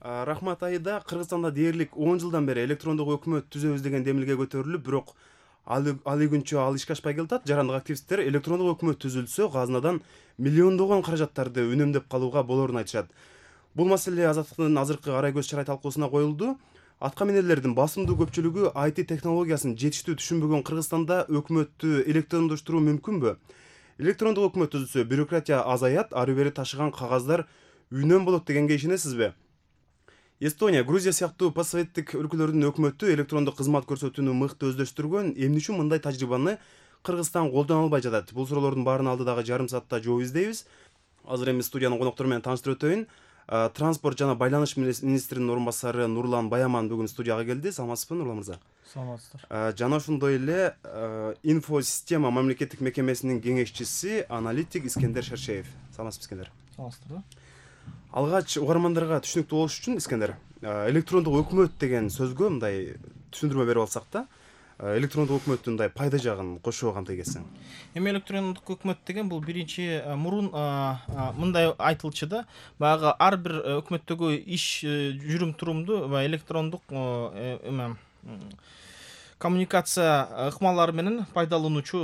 Рахмат айда Кыргызстанда дээрлик 10 жылдан бери электрондук өкмөт түзөбүз деген демилге көтөрүлүп, бирок али күнчө ал ишке ашпай келатат. Жарандык активисттер электрондук өкмөт түзүлсө, казынадан миллиондогон каражаттарды үнөмдөп калууга болоорун айтышат. Бул маселе Азаттыктын азыркы арай көз чарай талкуусуна коюлду. Атка минерлердин басымдуу көпчүлүгү IT технологиясын жетиштүү түшүнбөгөн Кыргызстанда өкмөттү электрондоштуруу мүмкүнбү? Электрондук өкмөт түзүлсө, бюрократия азаят, ары бери ташыган кагаздар үнөм болот дегенге ишенесизби? Эстония, Грузия сыяктуу постсоветтик өлкөлөрдүн өкмөтү электрондук кызмат көрсөтүүнү мыкты өздөштүргөн. Эмне үчүн мындай тажрыйбаны Кыргызстан колдоно албай жатат? Бул суроолордун баарын алдыдагы жарым саатта жооп издейбиз. Азыр эми студиянын коноктору менен тааныштырып өтөйүн. Транспорт жана байланыш министринин орун басары Нурлан Баяман бүгүн студияга келди. Саламатсызбы, Нурлан мырза? Саламатсыздар. Жана ошондой эле Инфосистема мамлекеттик мекемесинин кеңешчиси, аналитик Искендер Шершеев. Саламатсызбы, Искендер? Саламатсыздар. Алгач угармандарга түшүнүктүү болуш үчүн, Искендер, электрондук өкмөт деген сөзгө мындай түшүндүрмө берип алсак да, электрондук өкмөттүн мындай пайда жагын кошуп кандай келсең. Эми электрондук өкмөт деген бул биринчи мурун мындай айтылчу да, баягы ар бир өкмөттөгү иш жүрүм турумду электрондук коммуникация ыкмалары менен пайдалануучу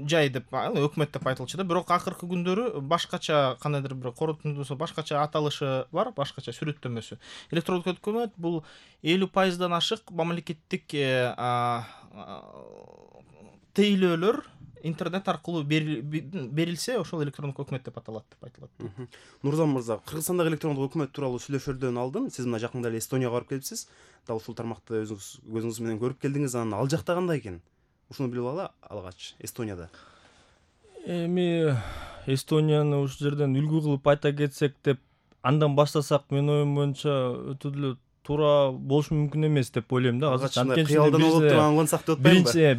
жай деп өкмөт деп айтылчу да. Бирок акыркы күндөрү башкача кандайдыр бир корутундусу башкача аталышы бар, башкача сүрөттөмөсү. Электрондук өкмөт бул 50% ашык мамлекеттик тейлөөлөр интернет аркылуу берилсе, ошол электрондук өкмөт деп аталат деп айтылат. Нурзан мырза, Кыргызстандагы электрондук өкмөт тууралуу сүйлөшөлөрдөн алдын сиз мына жакында эле Эстонияга барып келипсиз. Дал ушул тармакты өзүңүз көзүңүз менен көрүп келдиңиз. Анан ал жакта кандай экен? Ушуну билип алалы алгач, Эстонияда. Эми Эстонияны ушул жерден үлгү кылып айта кетсек деп андан баштасак, менин оюм боюнча өтө деле туура болушу мүмкүн эмес деп ойлойм да. Азыр кыялдан болуп турган консак деп атпаймынбы?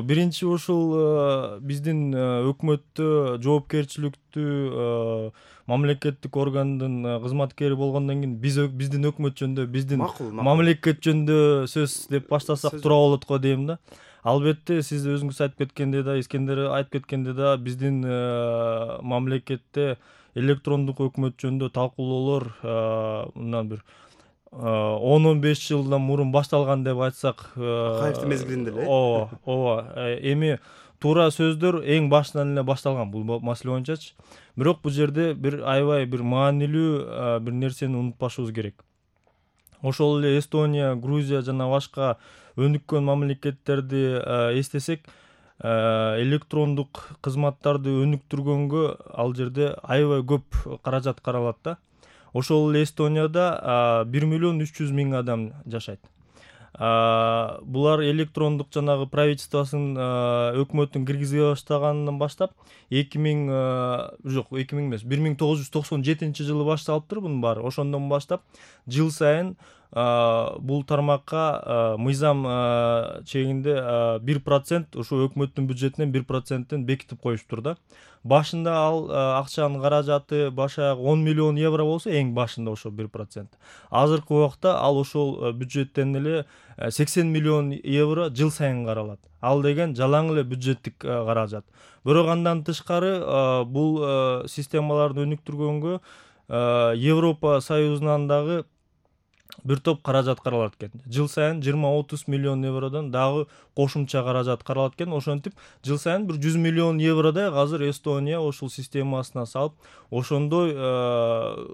Биринчи ушул биздин өкмөттө жоопкерчиликтүү мамлекеттик органдын кызматкери болгондон кийин биздин өкмөт жөнүндө, биздин мамлекет жөнүндө сөз деп баштасак туура болот го дейм да. Албетте сиз өзүңүз айтып кеткендей да, Искендер айтып кеткендей да, биздин мамлекетте электрондук өкмөт жөнүндө талкуулоолор мындан бир 10-15 жылдан мурун башталган деп айтсак, Акаевдин мезгилинде эле. Ооба. Эми туура сөздөр эң башынан эле башталган бул маселе боюнчачы. Бирок бул жерде бир аябай бир маанилүү бир нерсени унутпашыбыз керек. Ошол эле Эстония, Грузия жана башка өнүккөн мамлекеттерди эстесек, электрондук кызматтарды өнүктүргөнгө ал жерде аябай көп каражат каралат да. Ошол эле Эстонияда 1,3 миллион адам жашайт. Булар электрондук жанагы правительствосунун өкмөттүн киргизе баштаганынан баштап 1997 жылы башталыптыр бунун баары. Ошондон баштап жыл сайын бул тармакка мыйзам чегинде 1% ошо өкмөттүн бюджетинен 1%тен бекитип коюштур да. Башында ал акчанын каражаты башаяк 10 миллион евро болсо, эң башында ошо 1%. Азыркы убакта ал ошол бюджеттен эле 80 миллион евро жыл сайын каралат. Ал деген жалаң эле бюджеттик каражат. Бирок андан тышкары бул системаларды өнүктүргөнгө Европа Союзунан дагы бир топ каражат каралат экен. Жыл сайын 20-30 миллион евродон дагы кошумча каражат каралат экен. Ошентип жыл сайын бир 100 миллион евродай азыр Эстония ошол системасына салып, ошондой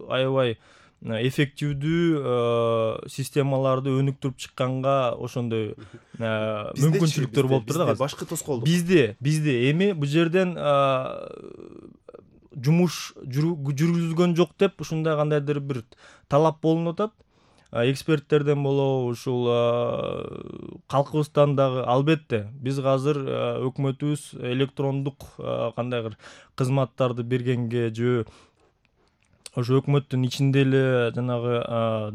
аябай эффективдүү системаларды өнүктүрүп чыкканга ошондой мүмкүнчүлүктөр болуптур да. Башкы тоскоолдук. Бизде эми бул жерден жумуш жүргүзүлгөн жок деп ушундай кандайдыр бир талап болунуп атат. Эксперттерден болобу, ушул калкыбыздан дагы. Албетте биз азыр өкмөтүбүз электрондук кандайдыр кызматтарды бергенге же ошо өкмөттүн ичинде эле жанагы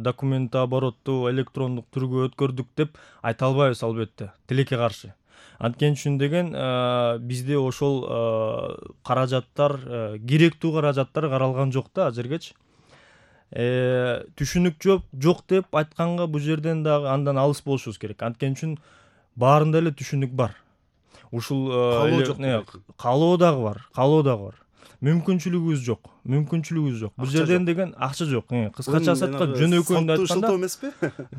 документ оборотту электрондук түргө өткөрдүк деп айта албайбыз, албетте, тилекке каршы. Анткени үчүн деген бизде ошол каражаттар, керектүү каражаттар каралган жок да азыргычы. Түшүнүк жок деп айтканга бул жерден дагы андан алыс болушубуз керек. Анткени үчүн баарында эле түшүнүк бар. Ушул каалоо дагы бар. мүмкүнчүлүгүбүз жок. Бул жерден деген акча жок. Кыскачасы айтканда жөнөкөйүндө айтканда шылтоо эмеспи?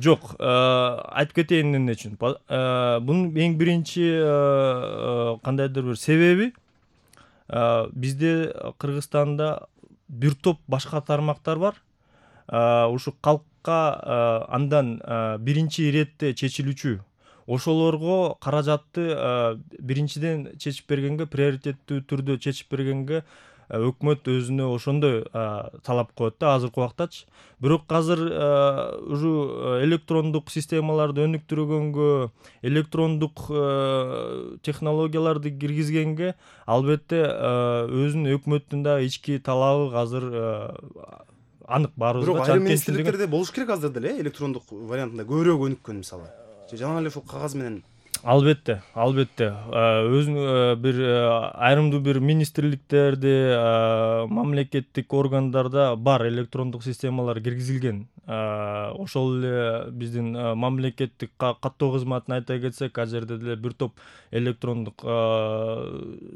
жок. Айтып кетейин эмне үчүн. Бунун эң биринчи кандайдыр бир себеби бизде Кыргызстанда бир топ башка тармактар бар. Ушу калкка андан биринчи иретте чечилүүчү. Ошолорго каражатты биринчиден чечип бергенге, приоритеттүү түрдө чечип бергенге өкмөт өзүнө ошондой талап коет да азыркы убактачы. Бирок азыр уже электрондук системаларды өнүктүргөнгө, электрондук технологияларды киргизгенге албетте өзүнүн өкмөттүн да ички талабы азыр анык баарыбызга. Бирок айрым министрликтерде болуш керек азыр деле электрондук вариантында көбүрөөк өнүккөн мисалы. Жана эле ушул кагаз менен Албетте. Өзүн бир айрымдуу бир министрликтерде, мамлекеттик органдарда бар электрондук системалар киргизилген. Ошол эле биздин мамлекеттик каттоо кызматын айта кетсек, ал жерде деле бир топ электрондук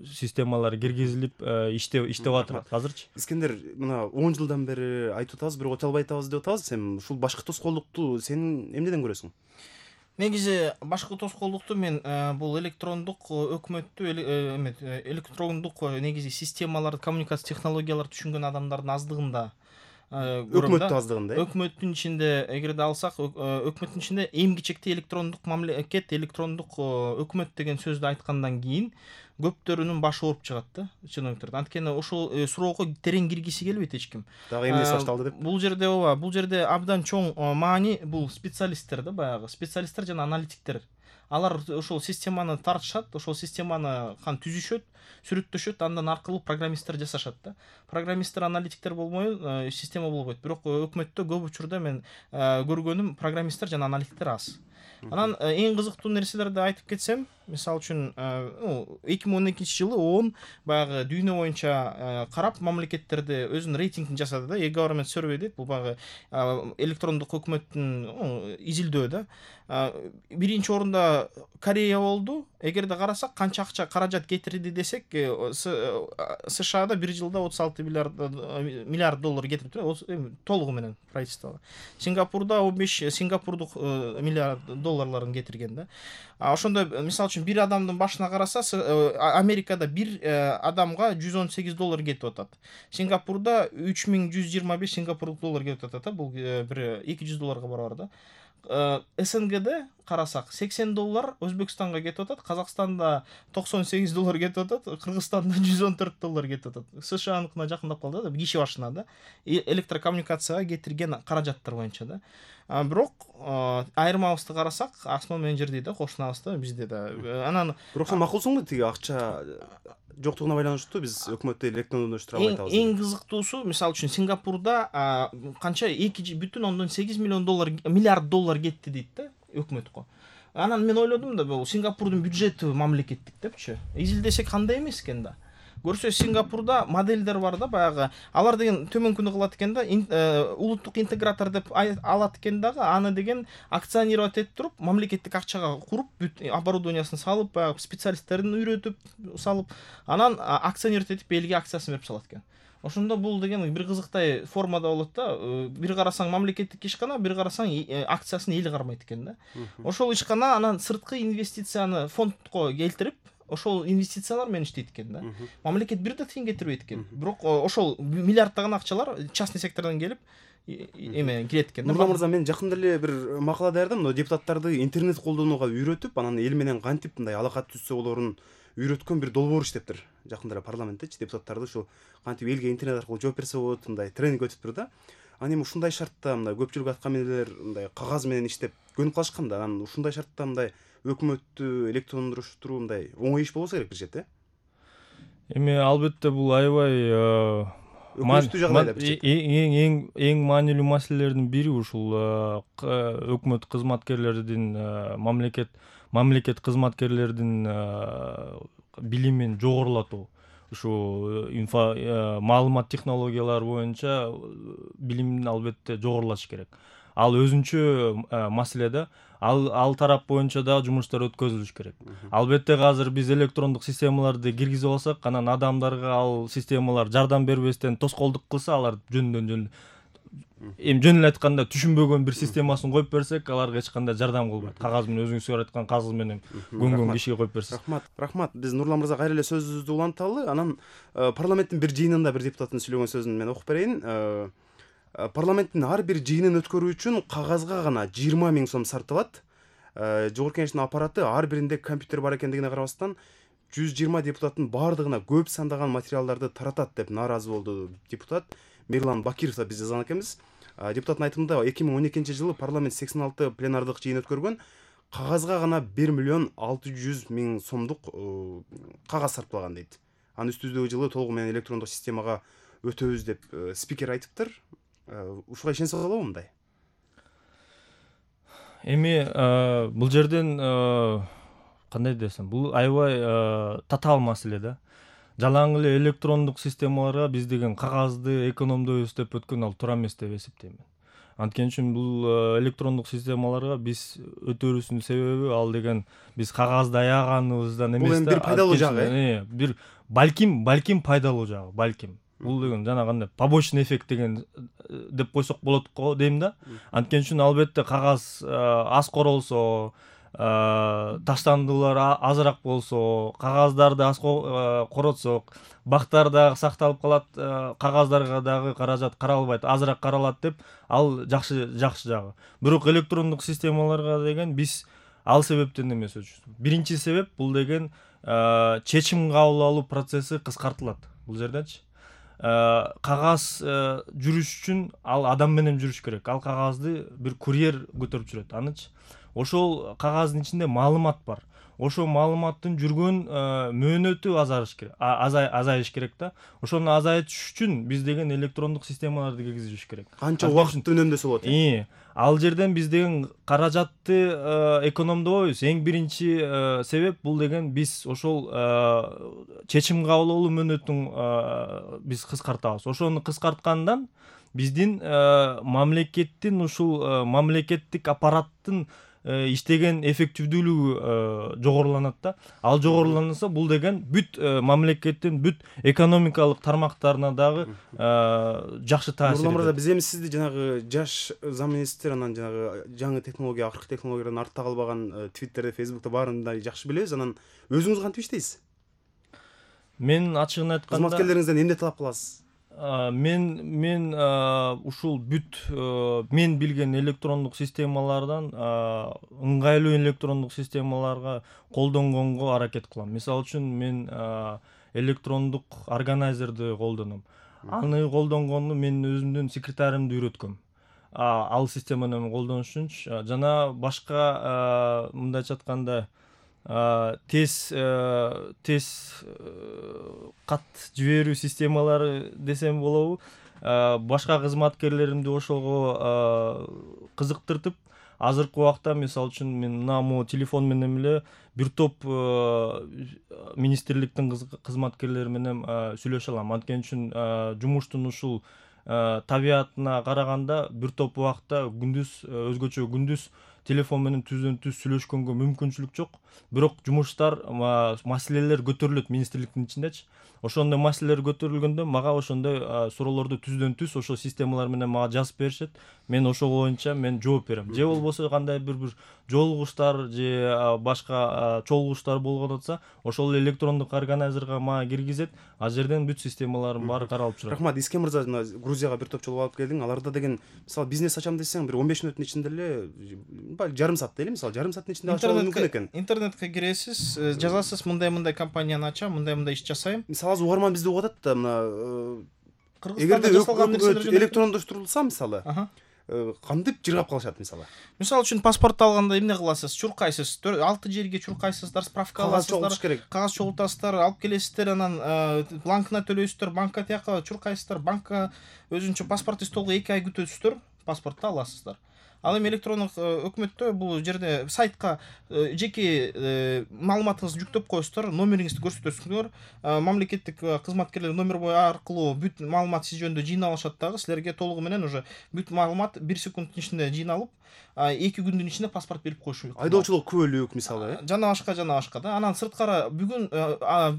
системалар киргизилип иштеп атат азырчы. Искендер, мына 10 жылдан бери айтып атабыз, бирок өтө албай атабыз деп атабыз. Сен ушул башкы тоскоолдукту сен эмнеден көрөсүң? Негизи башкы тоскоолдукту мен бул электрондук өкмөттү электрондук негизи системаларды, коммуникация технологияларды түшүнгөн адамдардын аздыгында көрөм да. Өкмөттүн аздыгында. Өкмөттүн ичинде эгерде алсак, өкмөттүн ичинде эң кичектей электрондук мамлекет, электрондук өкмөт деген сөздү айткандан кийин көптөрүнүн башы ооруп чыгат да чиновниктердин. Анткени ошол суроого терең киргиси келбейт эч ким. Дагы эмнеси башталды деп. Бул жерде абдан чоң маани бул специалисттер да, баягы специалисттер жана аналитиктер. Алар ошол системаны тартышат, ошол системаны түзүшөт, сүрөттөшөт, андан аркылуу программисттер жасашат да. Программисттер, аналитиктер болбой система болбойт. Бирок өкмөттө көп учурда мен көргөнүм программисттер жана аналитиктер аз. Анан эң кызыктуу нерселерди айтып кетсем, мисалы үчүн 2012-жылы ООН баягы дүйнө боюнча карап мамлекеттерди өзүнүн рейтингин жасады да. E-government survey дейт. Бул баягы электрондук өкмөттүн изилдөө да. Биринчи орунда Корея болду. Эгерде карасак, канча акча каражат кетирди десек, СШАда бир жылда 36 миллиард доллар кетирип толугу менен правительство. Сингапурда 15 сингапурдук миллиард долларларын кетирген да. Ошондо мисалы үчүн бир адамдын башына караса, Америкада бир адамга 118 доллар кетип атат. Сингапурда 3125 сингапурлук доллар кетип атат. Бул бир 200 долларга барабар да. СНГде карасак 80 доллар Өзбекстанга кетип атат, Казакстанда 98 доллар кетип атат, Кыргызстанда 114 доллар кетип атат. СШАныкына жакындап калды да, киши башына да. Электрокоммуникацияга кетирген каражаттар боюнча да. Бирок айырмабызды карасак, асман менен жер дейт да, кошунабыз да, бизде да. Анан бирок сен макулсуңбу тиги акча жоктугуна байланыштуу биз өкмөттү электрондоштура албай атабыз. Эң кызыктуусу, мисалы үчүн Сингапурда канча 2,8 миллиард доллар кетти дейт да өкмөткө. Анан мен ойлодум да, бул Сингапурдун бюджети мамлекеттик депчи. Изилдесек кандай эмес экен да. Көрсө Сингапурда модельдер бар да, баягы алар деген төмөнкүнү кылат экен да, улуттук интегратор деп алат экен дагы, аны деген акционировать этип туруп, мамлекеттик акчага куруп, бүт оборудованиясын салып, баягы специалисттерин үйрөтүп салып, анан акционировать этип элге акциясын берип салат экен. Ошондо бул деген бир кызыктай формада болот да. Бир карасаң мамлекеттик ишкана, бир карасаң акциясын эл кармайт экен да. Ошол ишкана анан сырткы инвестицияны фондко келтирип, ошол инвестициялар менен иштейт экен да. Мамлекет бир да тыйын кетирбейт экен. Бирок ошол миллиарддаган акчалар частный сектордон келип кирет экен. Нурлан мырза, мен жакында эле бир макала даярдадым, депутаттарды интернет колдонууга үйрөтүп, анан эл менен кантип мындай алака түзсө болорун үйрөткөн бир долбоор иштептир. Жакында эле парламенттечи депутаттарды ушу кантип элге интернет аркылуу жооп берсе болот, мындай тренинг өтүптүр да. Анан эми ушундай шартта мындай көпчүлүк аткам элелер мындай кагаз менен иштеп көнүп калышкан да. Анан ушундай шартта мындай өкмөттү электрондоштуруу мындай оңой иш болбосо керек бир четте. Эми албетте бул аябай өкүнүчтүү жагдай деп чек. эң маанилүү маселелердин бири ушул өкмөт кызматкерлердин, мамлекет кызматкерлердин билимин жогорулатуу. Ушу маалымат технологиялары боюнча билимин албетте жогорулатыш керек. ал өзүнчө маселе да. Ал тарап боюнча да жумуштар өткөзүлүш керек. Албетте азыр биз электрондук системаларды киргизип алсак, анан адамдарга ал системалар жардам бербестен тоскоолдук кылса, алар жөн эле айтканда түшүнбөгөн бир системасын коюп берсек, аларга эч кандай жардам кылбайт. Кагаз менен өзүңүз айткан кагаз менен көнгөн кишиге коюп берсек. Рахмат. Биз Нурлан мырза кайра эле сөзүбүздү уланталы. Анан парламенттин бир жыйынында бир депутаттын сүйлөгөн сөзүн мен окуп берейин. Парламенттин ар бир жыйынын өткөрүү үчүн кагазга гана 20 000 сом сарпталат. Жогорку Кеңештин аппараты ар биринде компьютер бар экендигине карабастан 120 депутаттын баардыгына көп сандаган материалдарды таратат деп нааразы болду депутат Мирлан Бакиров. Биз жазган экенбиз. Депутаттын айтымында 2012 жылы парламент 86 пленардык жыйын өткөргөн, кагазга гана 1 600 000 сомдук кагаз сарпталган дейт. Анын үстүбүздөгү жылы толугу менен электрондук системага өтөбүз деп спикер айтыптыр. Ушуга ишенсе болобу мындай? Эми бул жерден кандай десем, бул аябай татаал маселе да. Жалаң эле электрондук системаларга биз деген кагазды экономдойбуз деп өткөн ал туура эмес деп эсептейм. Анткени үчүн бул электрондук системаларга биз өтөрүбүздүн себеби ал деген биз кагазды аяганыбыздан эмес да. Бул эми бир пайдалуу жагы. Бир балким пайдалуу жагы, балким. Бул деген жана кандай побочный эффект деген деп койсок болот го дейм да. Анткени үчүн албетте кагаз аз королсо, таштандылар азыраак болсо, кагаздарды аз коротсок, бактар дагы сакталып калат, кагаздарга дагы каражат каралбайт, азыраак каралат деп ал жакшы жагы. Бирок электрондук системаларга деген биз ал себептен эмес өчүбүз. Биринчи себеп бул деген чечим кабыл алуу процесси кыскартылат бул жердечи. Кагаз жүрүш үчүн ал адам менен жүрүш керек. Ал кагазды бир курьер көтөрүп жүрөт. Анычы ошол кагаздын ичинде маалымат бар. Ошол маалыматтын жүргөн мөөнөтү азайыш керек да. Ошону азайтыш үчүн биз деген электрондук системаларды киргизиш керек. Канча убакытты үнөмдөсө болот? Ал жерден биз деген каражатты экономдобойбуз. Эң биринчи себеп бул деген биз ошол чечим кабыл алуу мөөнөтүн биз кыскартабыз. Ошону кыскарткандан биздин мамлекеттин ушул мамлекеттик аппараттын иштеген эффективдүүлүгү жогоруланат да. Ал жогоруланса бул деген бүт мамлекеттин бүт экономикалык тармактарына дагы жакшы таасир этет. Нурлан мырза, биз эми сизди жанагы жаш замминистр, анан жанагы жаңы технология, акыркы технологиядан артта калбаган Twitterде, Facebook'та баарында жакшы билебиз. Анан өзүңүз кантип иштейсиз? Мен ачыгын айтканда кызматкерлериңизден эмне талап кыласыз? Мен ушул бүт мен билген электрондук системалардан ыңгайлуу электрондук системаларга колдонгонго аракет кылам. Мисалы үчүн мен электрондук органайзерди колдоном. Аны колдонгонду мен өзүмдүн секретаримди үйрөткөм. Ал системаны колдонуш үчүн жана башка мындайча айтканда тез кат жиберүү системалары десем болобу, башка кызматкерлеримди ошого кызыктыртып, азыркы убакта мисалы үчүн мен мына телефон менен эле бир топ министрликтин кызматкерлери менен сүйлөшө алам. Анткени үчүн жумуштун ушул табиятына караганда бир топ убакта өзгөчө күндүз телефон менен түздөн-түз сүйлөшкөнгө мүмкүнчүлүк жок. Бирок жумуштар, маселелер көтөрүлөт министрликтин ичиндечи. Ошондой маселелер көтөрүлгөндө мага ошондой суроолорду түздөн-түз ошол системалар менен мага жазып беришет. Мен ошол боюнча мен жооп берем. Же болбосо кандай бир жолугуштар же башка чогулуштар болгон атса, ошол электрондук органайзерге мага киргизет. Ал жерден бүт системалардын баары каралып чыгат. Рахмат. Искем мырза, Грузияга бир топ жолуп алып келдиң. Аларда деген мисалы бизнес ачам десең, бир 15 мүнөттүн ичинде эле жарым саат дейли, мисалы жарым сааттын ичинде ачуу мүмкүн экен. Интернетке киресиз, жазасыз, мындай компанияны ачам, мындай иш жасайм. Мисалы азыр угарман бизди угуп атат да, мына эгерде электрондоштурулса мисалы, кантип жыргап калышат мисалы. Мисалы үчүн паспорт алганда эмне кыласыз? Чуркайсыз, 6 жерге чуркайсыздар, справка аласыздар, кагаз чогултасыздар, алып келесиздер, анан бланкына төлөйсүздөр, банкка тияка чуркайсыздар, банкка өзүнчө паспортный столго 2 ай күтөсүздөр. паспортто аласыздар. Ал эми электрондук өкмөттө бул жерде сайтка жеке маалыматыңызды жүктөп коесуздар, номериңизди көрсөтөсүңөр. Мамлекеттик кызматкерлер номер аркылуу бүт маалымат сиз жөнүндө жыйнап алышат дагы, силерге толугу менен уже бүт маалымат 1 секунддун ичинде жыйналып, 2 күндүн ичинде паспорт берип коюшу мүмкүн. Айдоочулук күбөлүк мисалы, жана башка да. Анан сырткары бүгүн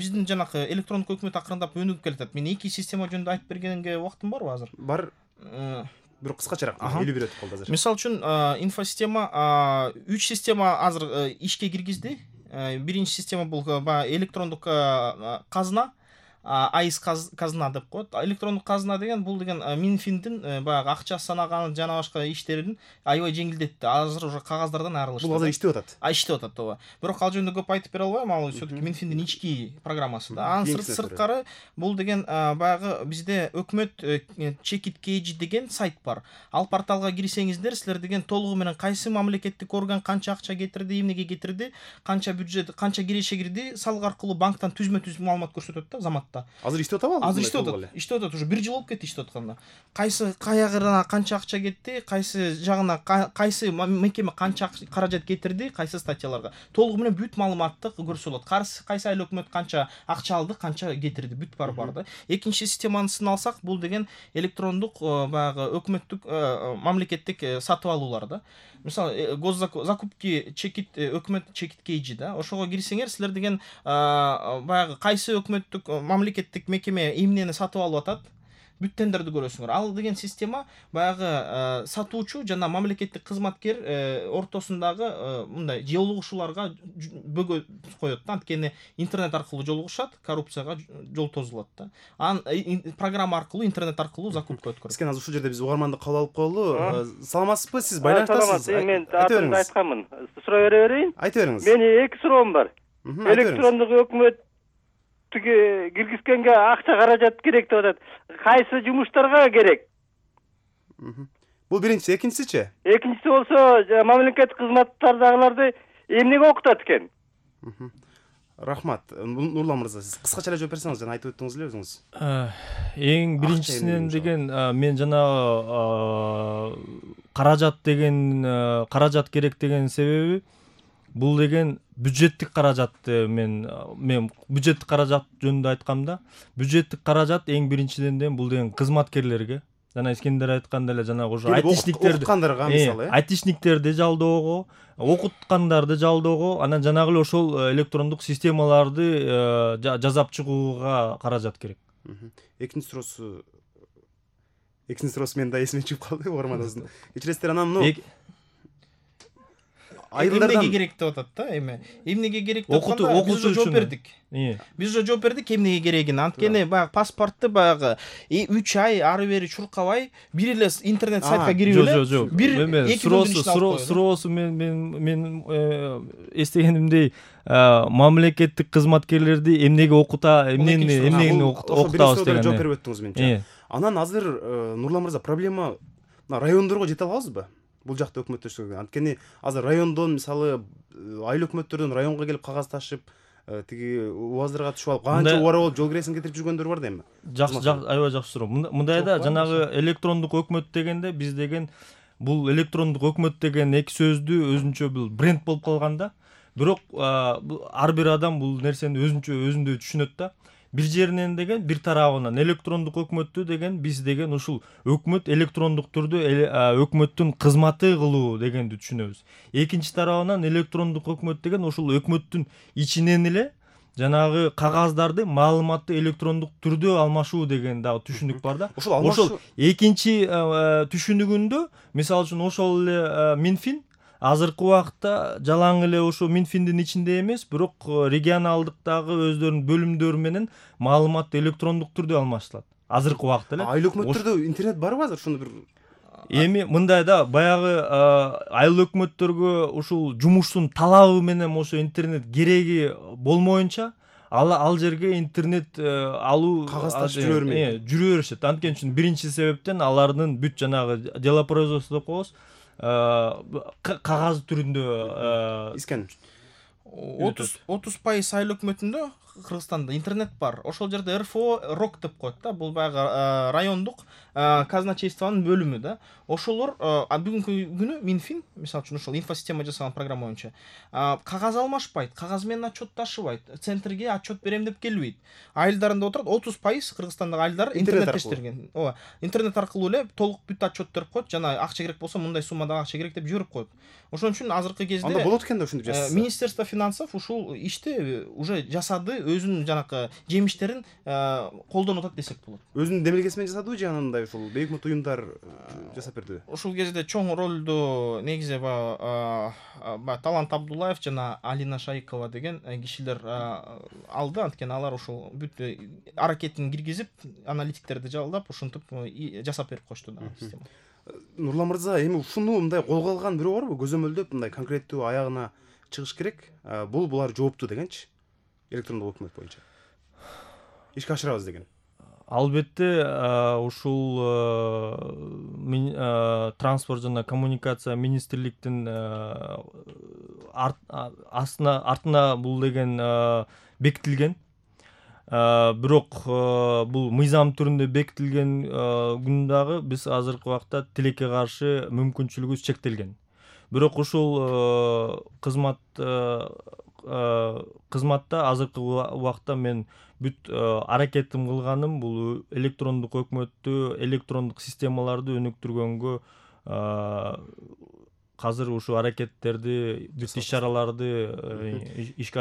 биздин жанакы электрондук өкмөт акырындап өнүгүп келатат. Мен 2 система жөнүндө айтып бергенге убактым барбы азыр? Бар. Бирок кыскачараак элүү бир өтүп калды азыр. Мисал үчүн инфосистема 3 система азыр ишке киргизди. Биринчи система бул баягы электрондук казына, айс казына деп коет. Электрондук казына деген бул деген Минфиндин баягы акча санаган жана башка иштерин аябай жеңилдетти. Азыр уже кагаздардан арылышты. Бул азыр иштеп атат. Иштеп атат, ооба. Бирок ал жөнүндө көп айтып бере албайм, ал все-таки Минфиндин ички программасы да. Анын сырткары бул деген баягы бизде өкмөт чекит кейжи деген сайт бар. Ал порталга кирсеңиздер, силер деген толугу менен кайсы мамлекеттик орган канча акча кетирди, эмнеге кетирди, канча бюджет, канча киреше кирди, салык аркылуу банктан түзмө-түз маалымат көрсөтөт да заматта. Азыр иштеп атабы? Азыр иштеп атат, уже 1 жыл болуп кетти иштеп атканда. Кайсы каягына канча акча кетти, кайсы жагына кайсы мекеме канча каражат кетирди, кайсы статьяларга. Толугу менен бүт маалыматты көрсө болот. Кайсы айыл өкмөт канча акча алды, канча кетирди, бүт бар да. Экинчи системасын алсак, бул деген электрондук баягы өкмөттүк мамлекеттик сатып алуулар да. Мисалы, закупки чекит өкмөт чекит кейжи да. Ошого кирсеңер, силер деген баягы кайсы өкмөттүк мамлекеттик мекеме эмнени сатып алып атат, бүт тендерди көрөсүңөр. Ал деген система баягы сатуучу жана мамлекеттик кызматкер ортосундагы мындай жолугушууларга бөгө коет да. Анткени интернет аркылуу жолугушат, коррупцияга жол тозулат да. Анан программа аркылуу, интернет аркылуу закупка өткөрөт. Сизге азыр ушул жерде биз угарманды кабыл алып коелу. Саламатсызбы? Сиз байланыштасыз? Мен атымды айтканмын. Суроо бере берейин? Айта бериңиз. Менин 2 суроом бар. Электрондук өкмөт киргизгенге акча каражат керек деп атат. Кайсы жумуштарга керек? Бул биринчиси, экинчисичи? Экинчиси болсо, мамлекеттик кызматтардагыларды эмнеге окутат экен? Рахмат. Нурлан мырза, сиз кыскача эле жооп берсеңиз, жана айтып өттүңүз эле өзүңүз. Эң биринчисинен деген мен жанагы каражат керек деген себеби бул деген бюджеттик каражатты мен бюджеттик каражат жөнүндө айткамда, бюджеттик каражат эң биринчиден бул деген кызматкерлерге, жана Искендер айткандай эле жанагы уже айтышниктерге мисалы, айтышниктерди жалдоого, окуткандарды жалдоого, анан жанагы эле ошол электрондук системаларды жасап чыгууга каражат керек. Экинчи суроосу мен да эсиме чыгып калды, угарманыбыздын. Кечиресиздер, анан эмнеге керек деп атат да, эмнеге керек деп атканда биз уже жооп бердик. Биз уже жооп бердик эмнеге керегин. Анткени баягы паспортты баягы 3 ай ары бери чуркабай бир эле интернет сайтка кирип эле бир суроосу мен эстегенимдей мамлекеттик кызматкерлерди эмнеге эмнени окутабыз деген. Жооп берип өттүңүз менче. Анан азыр Нурлан мырза, проблема райондорго жете алабызбы? Бул жакта өкмөттөштүгү. Анткени азыр райондон, мисалы, айыл өкмөттөрдөн районго келип кагаз ташып, тиги убаздарга түшүп алып, канча убара болуп жол киресин кетирип жүргөндөр бар да эми. Аябай жакшы суроо. Мындай да, жанагы электрондук өкмөт дегенде биз деген бул электрондук өкмөт деген эки сөздү өзүнчө бул бренд болуп калган да. Бирок ар бир адам бул нерсени өзүндөй түшүнөт да. Бир жеринен деген бир тарабынан электрондук өкмөттү деген биз деген ушул өкмөт электрондук түрдө өкмөттүн кызматы кылуу дегенди түшүнөбүз. Экинчи тарабынан электрондук өкмөт деген ушул өкмөттүн ичинен эле жанагы кагаздарды, маалыматты электрондук түрдө алмашуу деген дагы түшүнүк бар да. Ошол экинчи түшүнүгүндө, мисалы үчүн ошол эле Минфин азыркы убакытта жалаң эле ошо Минфиндин ичинде эмес, бирок регионалдыктагы өздөрүнүн бөлүмдөрү менен маалыматты электрондук түрдө алмаштырат. Азыркы убакытта эле. Айыл өкмөттөрдө интернет барбы азыр? Ошону бир эми мындай да, баягы айыл өкмөттөргө ушул жумуштун талабы менен ошо интернет кереги болмоюнча, ал жерге интернет алуу кагаз ташып жүрө беришет. Анткени үчүн биринчи себептен алардын бүт жанагы дело производство деп коебуз, кагаз түрүндө искен 30% айыл өкмөтүндө Кыргызстанда интернет бар. Ошол жерде РФО РОК деп коет да. Бул баягы райондук казначействонун бөлүмү да. Ошолор бүгүнкү күнү Минфин, мисалы үчүн ошол инфосистема жасаган программа боюнча кагаз алмашпайт, кагаз менен отчетташыбайт, центрге отчет берем деп келбейт. Айылдарында отурат, 30% Кыргызстандагы айылдар интернеттештирген. Ооба, интернет аркылуу эле толук бүт отчет берип коет, жана акча керек болсо мындай суммада акча керек деп жиберип коет. Ошон үчүн азыркы кезде анда болот экен да ушинтип жасаса. Министерство финансов ушул ишти уже жасады, өзүнүн жанакы жемиштерин колдонуп атат десек болот. Өзүнүн демилгеси менен жасадыбы же анандай ушул бейөкмөт уюмдар жасап бердиби? Ушул кезде чоң ролду негизи баягы Талант Абдуллаев жана Алина Шайыкова деген кишилер алды. Анткени алар ушул бүт аракетин киргизип, аналитиктерди жалдап, ушинтип жасап берип коюшту да система. Нурлан мырза, эми ушуну мындай колго алган бирөө барбы? Көзөмөлдөп мындай конкреттүү аягына чыгыш керек. Булар жооптуу дегенчи. Электрондук өкмөт боюнча. Ишке ашырабыз деген. Албетте, ушул транспорт жана коммуникация министрликтин артына бул деген бекитилген. Бирок бул мыйзам түрүндө бекитилген күн дагы биз азыркы убакта тилекке каршы мүмкүнчүлүгүбүз чектелген. Бирок ушул кызматта азыркы убакта мен бүт аракетим кылганым бул электрондук өкмөттү, электрондук системаларды өнүктүргөнгө, азыр ушул аракеттерди, бүт иш-чараларды ишке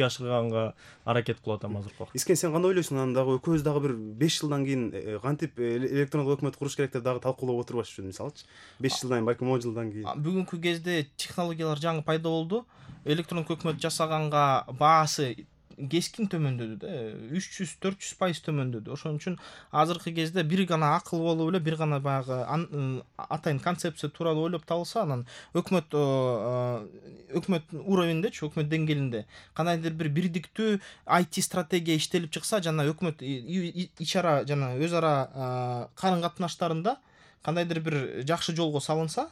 ашырганга аракет кылып атам азыркы убакта. Искен, сен кандай ойлойсуң? Анан дагы экөөбүз дагы бир 5 жылдан кийин кантип электрондук өкмөт куруш керек деп дагы талкуулап отурбаш үчүн, мисалычы 5 жылдан, балким 10 жылдан кийин. Бүгүнкү кезде технологиялар жаңы пайда болду. Электрондук өкмөт жасаганга баасы кескин төмөндөдү да, 300-400% төмөндөдү. Ошон үчүн азыркы кезде бир гана акыл болуп эле, бир гана баягы атайын концепция тууралуу ойлоп табылса, анан өкмөт уровендечи, өкмөт деңгээлинде кандайдыр бир бирдиктүү IT стратегия иштелип чыкса, жана өкмөт ич-ара жана өз ара карын катнаштарында кандайдыр бир жакшы жолго салынса,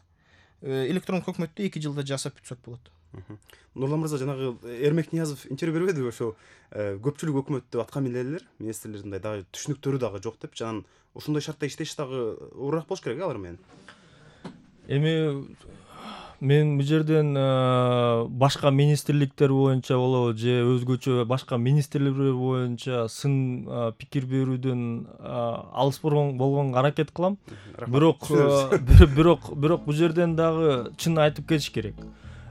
электрондук өкмөттү 2 жылда жасап бүтсөк болот. Нурлан мырза, жанагы Эрмек Ниязов интервью бербедиби? Ошо көпчүлүк өкмөттө аткан элелер, министрлердин дагы түшүнүктөрү дагы жок деп, жанагы ошондой шартта иштеш дагы оорураак болуш керек алар менен. Эми мен бул жерден башка министрликтер боюнча болобу же өзгөчө башка министрликтер боюнча сын пикир берүүдөн алыс болгонго аракет кылам. Бирок бул жерден дагы чын айтып кетиш керек.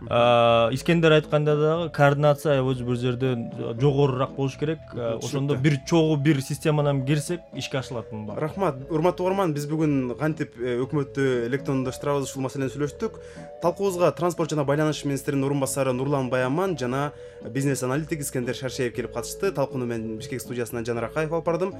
Искендер айтканда дагы координация бул жерде жогорураак болуш керек. Ошондо бир чогуу бир системадан кирсек ишке ашылат мында. Рахмат. Урматтуу угарман, биз бүгүн кантип өкмөттү электрондоштурабыз ушул маселени сүйлөштүк. Талкуубузга транспорт жана байланыш министринин орун басары Нурлан Баяман жана бизнес аналитик Искендер Шаршеев келип катышты. Талкууну мен Бишкек студиясынан Жанар Акаев алып бардым.